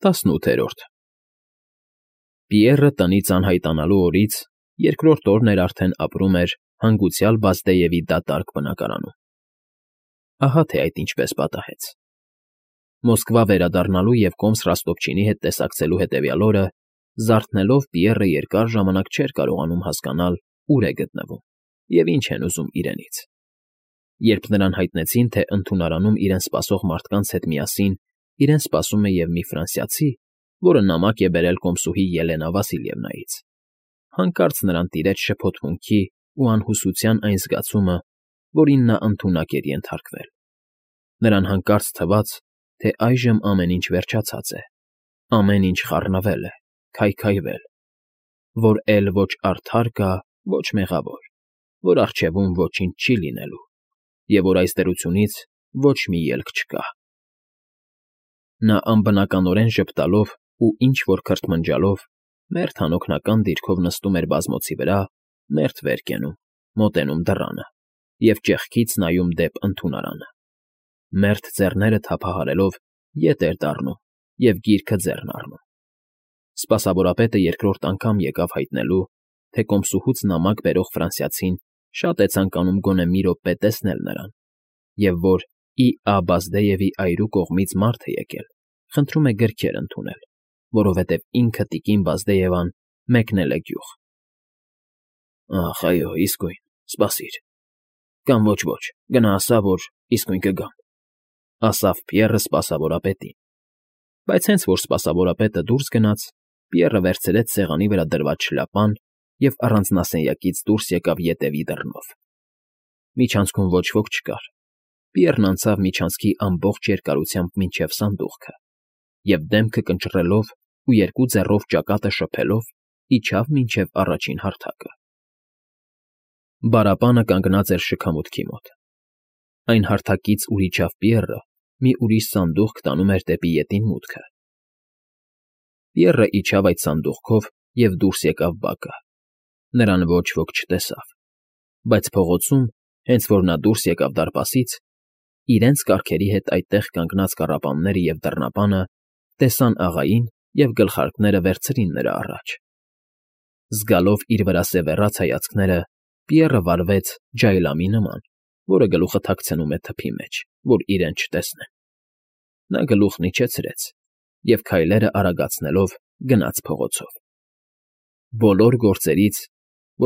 18-րդ Պիեռը տնից անհայտանալու օրից երկրորդ օրն էր արդեն ապրում էր հանգուցյալ Բազդեևի դատարկ բնակարանում։ Ահա թե այդ ինչպես պատահեց։ Մոսկվա վերադառնալու և կոմս Ռոստովչինի հետ տեսակցելու հետևյալ օրը զարթնելով Պիեռը երկար ժամանակ չէր կարողանում հասկանալ ուր է գտնվում և ինչ են ուզում իրենից։ Երբ նրան հայտնեցին, թե ընդունարանում իրեն սպասող մարդկանց հետ միասին իրեն սպասում է և մի ֆրանսիացի, որը նամակ է բերել կոմսուհի Ելենա Վասիլևնայից, հանկարծ նրան տիրեց շփոթմունքի ու անհուսության այն զգացումը, որին նա ընդունակ էր ենթարկվել։ Նրան հանկարծ թվաց, թե այժմ ամեն ինչ վերջացած է, ամեն ինչ խառնվել է, քայքայվել, որ էլ ոչ արդար կա, ոչ մեղավոր, որ առջևում ոչինչ չի լինելու, և որ այս դրությունից ոչ մի ելք չկա։ Նա անբնականորեն ժպտալով ու ինչ֊որ քրթմնջալով մերթ անօգնական դիրքով նստում էր բազմոցի վրա, մերթ վեր կենում, մոտենում դռանը և ճեղքից նայում դեպ ընդունարանը, մերթ ձեռները թափահարելով ետ էր դառնում և գիրքը ձեռն առնում։ Սպասավորապետը երկրորդ անգամ եկավ հայտնելու, թե կոմսուհուց նամակ բերող ֆրանսիացին շատ է ցանկանում գոնե մի րոպե տեսնել նրան, և որ Ի.Ա. Բազդեևի այրու կողմից մարդ է եկել, խնդրում է գրքեր ընդունել, որովհետև ինքը տիկին Բազդեևան մեկնել է գյուղ։ Ախ, այո, իսկույն, սպասիր, կամ ոչ, գնա ասա, որ իսկույն կգամ, ասավ Պիեռը սպասավորապետին, բայց հենց որ սպասավորապետը դուրս գնաց, Պիեռը վերցրեց սեղանի վրա դրված շլապան և առանձնասենյակից դուրս եկավ ետևի դռնով։ Միջանցքում ոչ ոք չկար։ Պիեռն անցավ միջանցքի ամբողջ երկարությամբ մինչև սանդուղքը և դեմքը կնճռելով ու երկու ձեռով ճակատը շփելով իջավ մինչև առաջին հարթակը։ Բարապանը կանգնած էր շքամուտքի մոտ։ Այն հարթակից, ուր իջավ Պիեռը, մի ուրիշ սանդուղք տանում էր դեպի ետին մուտքը։ Պիեռը իջավ այդ սանդուղքով և դուրս եկավ բակը։ Նրան ոչ ոք չտեսավ, բայց փողոցում, հենց որ նա դուրս եկավ դարպասից, իրենց կառքերի հետ այդտեղ կանգնած կառապանները և դռնապանը տեսան աղային և գլխարկները վերցրին նրա առաջ։ Զգալով իր վրա սևեռած հայացքները, Պիեռը վարվեց ջայլամի նման, որը գլուխը թաքցնում է թփի մեջ, որ իրեն չտեսնեն։ Նա գլուխն իջեցրեց և քայլերը արագացնելով գնաց փողոցով։ Բոլոր գործերից,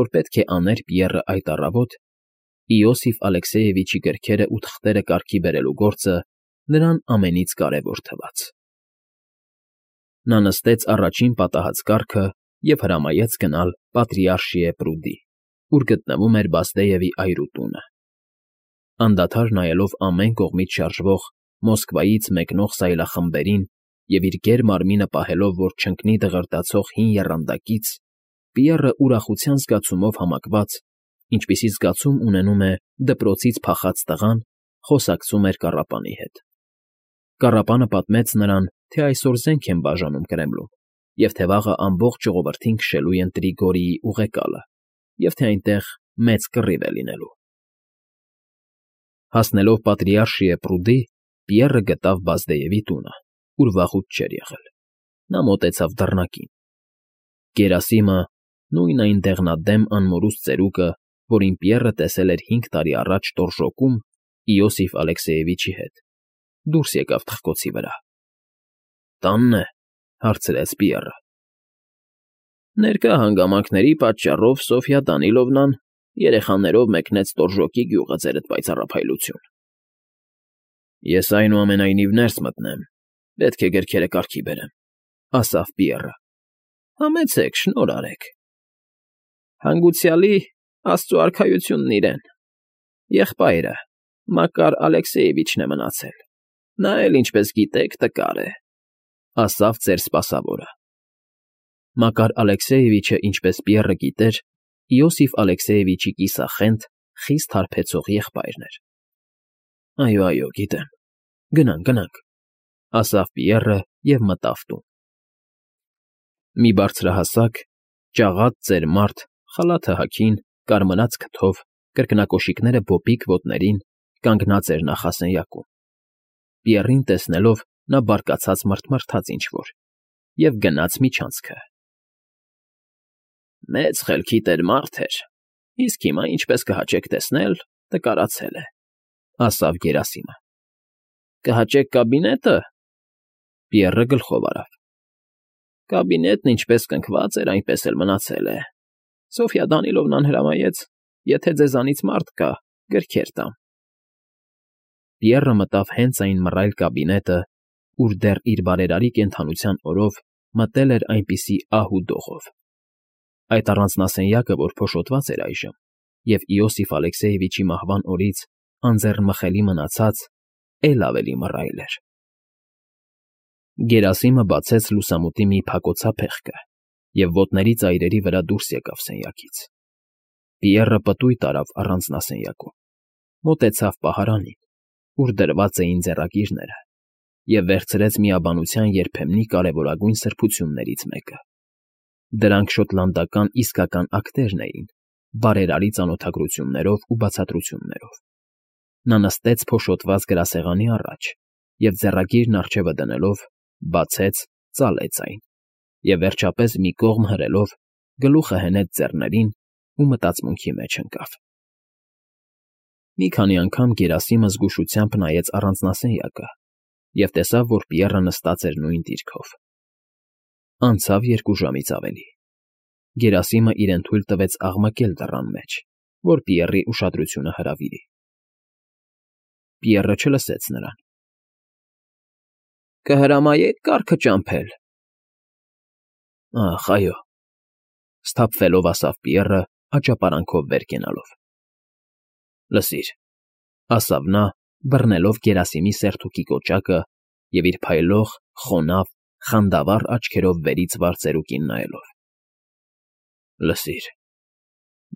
որ պետք է աներ Պիեռը այդ առավոտ, Իոսիֆ Ալեքսեևիչի գրքերը ու թղթերը կարգի բերելու գործը նրան ամենից կարևոր թվաց։ Նա նստեց առաջին պատահած կառքը և հրամայեց գնալ Պատրիարշիե պրուդի, ուր գտնվում էր Բազդեևի այրու տունը։ Անդադար նայելով ամեն կողմից շարժվող Մոսկվայից մեկնող սայլախմբերին և իր գեր մարմինը պահելով, որ չընկնի դղրդացող հին եռանդակից, Պիեռը ուրախության զգացումով համակված, ինչպիսի զգացում ունենում է դպրոցից փախած տղան, խոսակցում էր կառապանի հետ։ Կառապանը պատմեց նրան, թե այսօր զենք են բաժանում Կրեմլում, և թե վաղը ամբողջ ժողովրդին քշելու են Տրիգորիի ուղեկալը, և թե այնտեղ մեծ կռիվ է լինելու։ Հասնելով Պատրիարշիե պրուդի, Պիեռը գտավ Բազդեևի տունը, ուր վաղուց չէր եղել։ Նա մոտեցավ դռնակին։ Գերասիմը, նույն այն դեղնադեմ անմորուստ ծերուկը, որին Պիեռը տեսել էր 5 տարի առաջ տորժոկում Իոսիֆ Ալեքսեևիչի հետ, դուրս եկավ թխկոցի վրա։ «Տանն է», հարցրեց Պիեռը։ «Ներկա հանգամանքների պատճառով Սոֆյա Դանիլովնան երեխաներով մեկնեց Տորժոկի գյուղը, ձերդ պայծառափայլություն»։ «Ես այնուամենայնիվ ներս մտնեմ, պետք է գրքերը կարգի բերեմ», ասավ Պիեռը։ «Համեցեք, շնորհ արեք»։ «Հանգուցյալի աստծու արքայությունն իրեն։ Եղբայրը Մակար Ալեքսեևիչն է մնացել, նա էլ, ինչպես գիտեք, տկար է», ասավ ծեր սպասավորը։ Մակար Ալեքսեևիչը, ինչպես Պիեռը գիտեր, Իոսիֆ Ալեքսեևիչի կիսախենթ, խիստ հարբեցող եղբայրն էր։ «Այո, գիտեմ, գնանք», ասավ Պիեռը և մտավ տուն։ Մի բարձրահասակ, ճաղատ ծեր մարդ, խալաթը հագին, կարմրած քթով, կրկնակոշիկները բոպիկ ոտներին, կանգնած էր նախասենյակում։ Պիեռին տեսնելով՝ նա բարկացած մռթմռթաց ինչ֊որ և գնաց միջանցքը։ Մեծ խելքի տեր մարդ էր, իսկ հիմա, ինչպես կհաճեք տեսնել, տկարացել է, ասավ Գերասիմը։ Կհաճեք կաբինետը։ Պիեռը գլխով արավ։ Կաբինետն ինչպես կնքված էր, այնպես էլ մնացել է։ Սոֆյա Դանիլովնան հրամայեց, եթե ձեզանից մարդ կա, գրքեր տամ։ Պիեռը մտավ հենց այն մռայլ կաբինետը, ուր դեռ իր բարերարի կենդանության օրով մտել էր այնպիսի ահ ու դողով։ Այդ առանձնասենյակը, որ փոշոտված էր այժմ, և Իոսիֆ Ալեքսեևիչի մահվան օրից անձեռնմխելի մնացած, էլ ավելի մռայլ էր։ Գերասիմը բացեց լուսամուտի մի փակոցափեղկը և ոտների ծայրերի վրա դուրս եկավ սենյակից։ Պիեռը պտույտ արավ առանձնասենյակում, մոտեցավ պահարանին, ուր դրված էին ձեռագիրները, և վերցրեց միաբանության երբեմնի կարևորագույն սրբություններից մեկը։ Դրանք շոտլանդական իսկական ակտերն էին, բարերարի ծանոթագրություններով ու բացատրություններով։ Նա նստեց փոշոտված գրասեղանի առաջ և ձեռագիրն առջևը դնելով, բացեց, ծալեց այն և, վերջապես, մի կողմ հրելով, գլուխը հենեց ձեռներին ու մտածմունքի մեջ ընկավ։ Մի քանի անգամ Գերասիմը զգուշությամբ նայեց առանձնասենյակը և տեսավ, որ Պիեռը նստած էր նույն դիրքով։ Անցավ 2 ժամից ավելի։ Գերասիմը իրեն թույլ տվեց աղմկել դռան մեջ, որ Պիեռի ուշադրությունը հրավիրի։ Պիեռը չլսեց նրան։ Կհրամայե՞ք կառքը ճամփել։ Ախ, այո, սթափվելով ասավ Պիեռը, աճապարանքով վեր կենալով։ Լսիր, ասավ նա, բռնելով Գերասիմի սերթուքի կոճակը և իր փայլող, խոնավ, խանդավառ աչքերով վերից վարձերուկին նայելով։ Լսիր,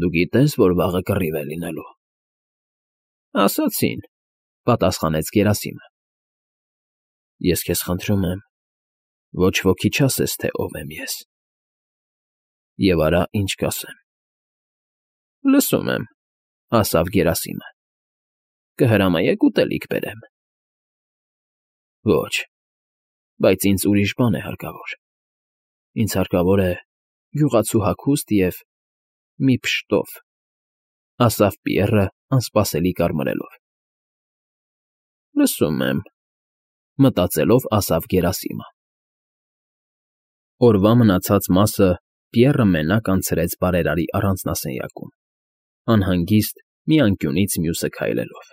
դու գիտես, որ վաղը կռիվ է լինելու։ Ասացին, պատասխանեց Գերասիմը։ Ես քեզ խնդրում եմ, ոչ ոքի չասես, թե ով եմ ես։ Եվ արա, ինչ կասեմ։ Լսում եմ, ասավ Գերասիմը։ Կհրամայեք ուտելիք բերեմ։ Ոչ, բայց ինձ ուրիշ բան է հարկավոր։ Ինձ հարկավոր է գյուղացու հագուստ և մի փշտով, ասավ Պիեռը անսպասելի կարմրելով։ Լսում եմ, մտածելով ասավ Գերասիմը։ Օրվա մնացած մասը Պիեռը մենակ անցրեց բարերարի առանձնասենյակում, անհանգիստ մի անկյունից մյուսը քայլելով,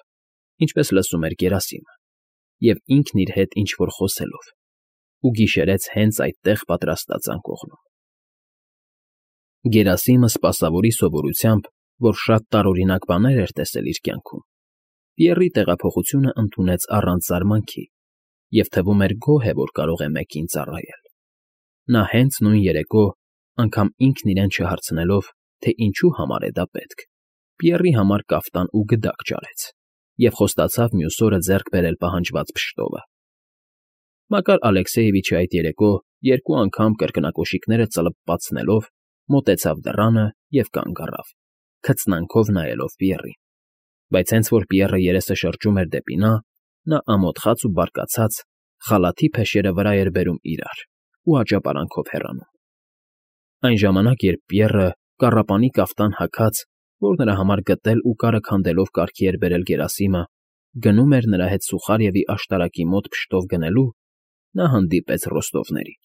ինչպես լսում էր Գերասիմը, և ինքն իր հետ ինչ֊որ խոսելով, ու գիշերեց հենց այդտեղ պատրաստած անկողնում։ Գերասիմը սպասավորի սովորությամբ, որ շատ տարօրինակ բաներ էր տեսել իր կյանքում, Պիեռի տեղափոխությունը ընդունեց առանց զարմանքի և թվում էր գոհ է, որ կարող է մեկին ծառայել։ Նա հենց նույն երեկո, անգամ ինքն իրեն չհարցնելով, թե ինչու համար է դա պետք, Պիեռի համար կաֆտան ու գդակ ճարեց և խոստացավ մյուս օրը ձեռք բերել պահանջված փշտովը։ Մակար Ալեքսեևիչը այդ երեկո 2 անգամ կրկնակոշիկները ծլպացնելով մոտեցավ դռանը և կանգ առավ, քծնանքով նայելով Պիեռին, բայց հենց որ Պիեռը երեսը շրջում էր դեպի նա ամոթխած ու բարկացած խալաթի փեշերը վրա էր բերում իրար ու աճապարանքով հեռանում։ Այն ժամանակ, երբ Պիեռը, կառապանի կաֆտան հագած, որ նրա համար գտել ու կարը քանդելով կարգի էր բերել Գերասիմը, գնում էր նրա հետ Սուխարևի աշտարակի մոտ փշտով գնելու, նա հանդիպեց Ռոստովներին։